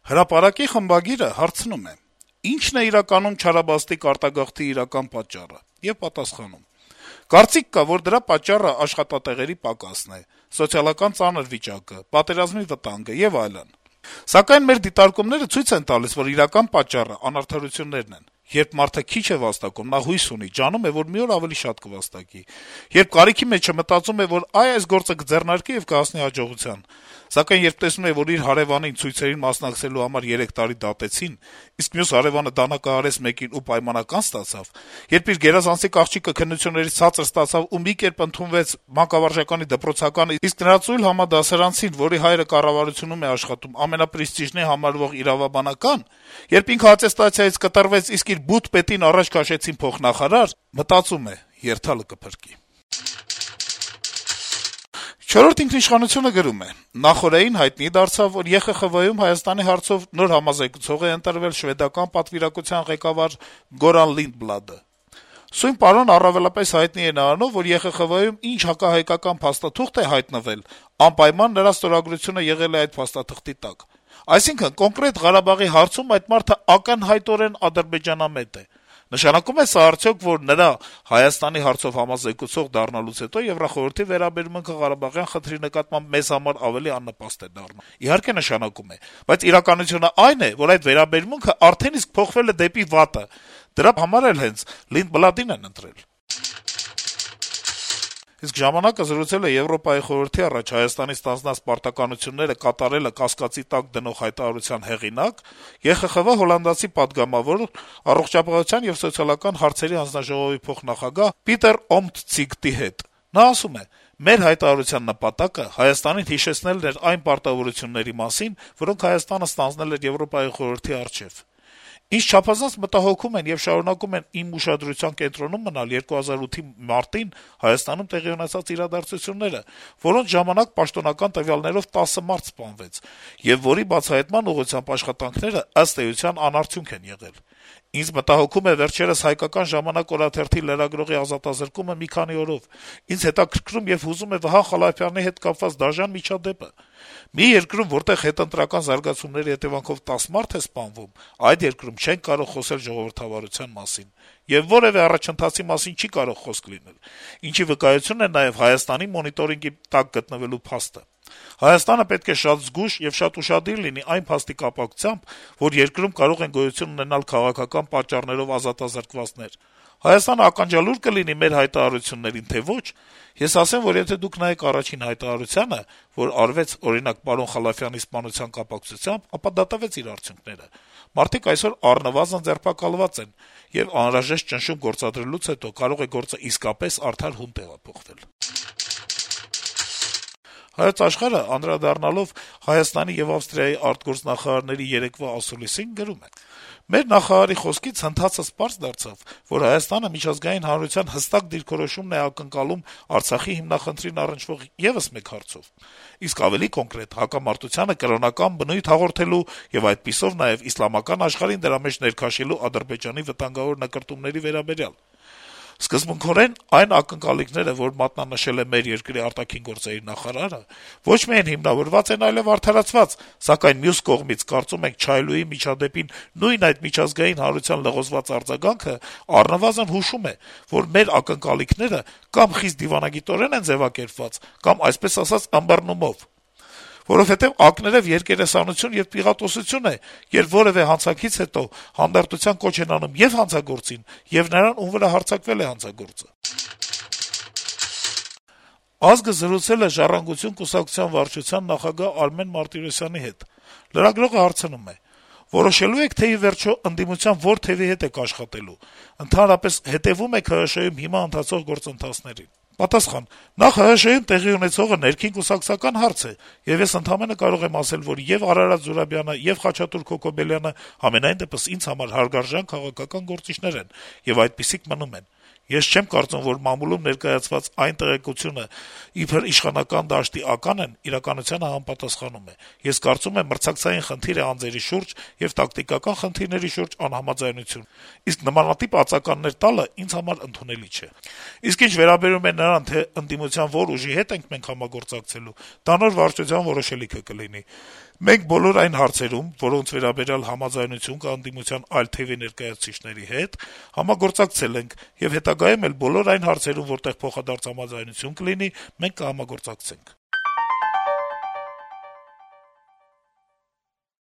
Հրապարակի խմբագիրը հարցնում է. - «Ի՞նչն է իրականում չարաբաստիկ արտագաղթի իրական պատճառը» եւ պատասխանում. - «Կարծիք կա, որ դրա պատճառը աշխատատեղերի պակասն է, սոցիալական ծանր վիճակը, պատերազմի վտանգը եւ այլն: Սակայն մեր դիտարկումները ցույց են տալիս, որ իրական պատճառը անարդարություններն են: Երբ մարդը քիչ է վաստակում, նա հույս ունի, ջանում է, որ մի օր ավելի շատ կվաստակի: Երբ կարիքի մեջ է, մտածում է, որ այս գործը կձեռնարկի եւ կհասնի հաջողության: Սակայն երբ տեսնում է, որ իր հարեւանին ցույցերին մասնակցելու համար 3 տարի դատեցին, իսկ մյուս հարեւանը դանակահարեց մեկին ու պայմանական ստացավ, երբ իր գերազանցիկ աղջիկը քննություններից ցածր ստացավ ու մի կերպ ընդունվեց մանկավարժականի դպրոցական, իսկ նրա ծույլ համադասարանցին, որի հայրը կառավարությունում է աշխատում, ամենապրեստիժնի համարվող իրավաբանական, երբ ինքը ատեստացիայից կտրվեց, իսկ իր բութ պետին առաջ քաշեցին փոխնախարար, մտածում է՝ երթալը կփրկի»: «Չորրորդ ինքնիշխանություն»-ը գրում է. - «Նախօրեին հայտնի դարձավ, որ ԵԽԽՎ-ում Հայաստանի հարցով նոր համազեկուցող է ընտրվել շվեդական պատվիրակության ղեկավար Գորան Լինդբլադը: Սույն պարոնը առավելապես հայտնի է նրանով, որ ԵԽԽՎ-ում ինչ հակահայկական փաստաթուղթ է հայտնվել, անպայման նրա ստորագրությունը եղել է այդ փաստաթղթի տակ: Այսինքն` կոնկրետ Ղարաբաղի հարցում այդ մարդը ակնհայտորեն ադրբեջանամետ է: Նշանակո՞ւմ է սա արդյոք, որ նրա Հայաստանի հարցով համազեկուցող դառնալուց հետո Եվրախորհրդի վերաբերմունքը ղարաբաղյան խնդրի նկատմամբ մեզ համար ավելի աննպաստ է դառնում: Իհարկե նշանակում է, բայց իրականությունն այն է, որ այդ վերաբերմունքը արդեն իսկ փոխվել է դեպի վատը: Դրա համար էլ հենց Լինդբլադին են ընտրել»: «Ժամանակ»-ը զրուցել է Եվրոպայի խորհրդի առաջ Հայաստանի ստանձնած պարտականությունները կատարելը կասկածի տակ դնող հայտարարության հեղինակ, ԵԽԽՎ հոլանդացի պատգամավոր, առողջապահության եւ սոցիալական հարցերի հանձնաժողովի փոխնախագահ Պիտեր Օմթցիգտի հետ: Նա ասում է. - «Մեր հայտարարության նպատակը Հայաստանին հիշեցնելն էր այն պարտավորությունների մասին, որոնք Հայաստանը ստանձնել էր Եվրոպայի խորհրդի առջեւ: Ինձ չափազանց մտահոգում են եւ շարունակում են իմ ուշադրության կենտրոնում մնալ 2008-ի մարտին Հայաստանում տեղի ունեցած իրադարձությունները, որոնց ժամանակ պաշտոնական տվյալներով 10 մարդ սպանվեց, եւ որի բացահայտման ուղղությամբ աշխատանքները, ըստ էության, անարդյունք են եղել: Ինձ մտահոգում է վերջերս «Հայկական ժամանակ» օրաթերթի լրագրողի ազատազրկումը մի քանի օրով: Ինձ հետաքրքրում եւ հուզում է Վահան Խալափյանի հետ կապված դաժան միջադեպը: Մի երկրում, որտեղ հետընտրական զարգացումների հետեւանքով 10 մարդ է սպանվում, այդ երկրում չենք կարող խոսել ժողովրդավարության մասին: Եվ որեւէ առաջընթացի մասին չի կարող խոսք լինել: Ինչի վկայություն է նաեւ Հայաստանի մոնիտորինգի տակ գտնվելու փաստը: Հայաստանը պետք է շատ զգույշ եւ շատ ուշադիր լինի այն փաստի կապակցությամբ, որ երկրում կարող են գոյություն ունենալ քաղաքական պատճառներով ազատազրկվածներ: Հայաստանը ականջալուր կլինի մեր հայտարարություններին, թե ոչ: Ես ասեմ, որ եթե դուք նայեք առաջին հայտարարությանը, որ արվեց, օրինակ, պարոն Խալափյանի սպանության կապակցությամբ, ապա դա տվեց իր արդյունքները: Մարդիկ այսօր առնվազն ձերբակալված են, եւ անհրաժեշտ ճնշում գործադրելուց հետո կարող է գործը իսկապես արդար հուն տեղափոխվել»: «Հայոց Աշխարհ»-ը, անդրադառնալով Հայաստանի եւ Ավստրիայի արտգործնախարարների երեկվա ասուլիսին, գրում է. - «Մեր նախարարի խոսքից ընթացք's պարզ դարձավ, որ Հայաստանը միջազգային հանրության հստակ դիրքորոշումն է ակնկալում Արցախի հիմնախնդրին առնչվող եւս մեկ հարցով: Իսկ ավելի կոնկրետ՝ հակամարտությանը կրոնական բնույթ հաղորդելու եւ այդպիսով նաեւ իսլամական աշխարհին դրա մեջ ներքաշելու Ադրբեջանի վտանգավոր նկրտումների վերաբերյալ: Սկզբունքորեն այն ակնկալիքները, որ մատնանշել է մեր երկրի ԱԳ նախարարը, ոչ միայն հիմնավորված են, այլեւ արդարացված, սակայն մյուս կողմից, կարծում ենք, Չայլուի միջադեպին նույն այդ միջազգային հանրության լղոզված արձագանքը առնվազն հուշում է, որ մեր ակնկալիքները կամ խիստ դիվանագիտորեն են ձեւակերպված, կամ, այսպես ասած, ըմբռնումով: Որովհետեւ ակներեւ երկերեսանություն եւ պიღատոսություն է, երբ որեւէ հանցանքից հետո հանդարտության կոչ են անում ե'ւ հանցագործին, ե'ւ նրան, ում վրա հարձակվել է հանցագործը»: «Ազգ»-ը զրուցել է «Ժառանգություն» կուսակցության վարչության նախագահ Արմեն Մարտիրոսյանի հետ: Լրագրողը հարցնում է. - «Որոշելո՞ւ եք, թե ի վերջո ընդդիմության որ թեւի հետ եք աշխատելու: Ընդհանրապես հետեւո՞ւմ եք ՀՀՇ-ում հիմա ընթացող գործընթացներին»: Պատասխան. - «Նախ ՀՀՇ-ում տեղի ունեցողը ներքին կուսակցական հարց է, եւ ես ընդամենը կարող եմ ասել, որ ե'ւ Արարատ Զուրաբյանը, ե'ւ Խաչատուր Քոքոբելյանը համենայն դեպս ինձ համար հարգարժան քաղաքական գործիչներ են, եւ այդպիսիք մնում են: Ես չեմ կարծում, որ մամուլում ներկայացված այն տեղեկությունը, իբր իշխանական դաշտի ական են, իրականությանը համապատասխանում է: Ես կարծում եմ, մրցակցային խնդիր է անձերի շուրջ եւ տակտիկական խնդիրների շուրջ անհամաձայնություն: Իսկ նմանատիպ ածականներ տալը ինձ համար ընդունելի չէ: Իսկ ինչ վերաբերում է նրան, թե ընդդիմության որ ուժի հետ ենք մենք համագործակցելու, դա նոր վարչության որոշելիքը կլինի: Մենք բոլոր այն հարցերում, որոնց վերաբերյալ համաձայնություն կա ընդդիմության այլ թեւի ներկայացուցիչների հետ, համագործակցել ենք եւ հետագայում էլ բոլոր այն հարցերում, որտեղ փոխադարձ համաձայնություն կլինի, մենք կհամագործակցենք»։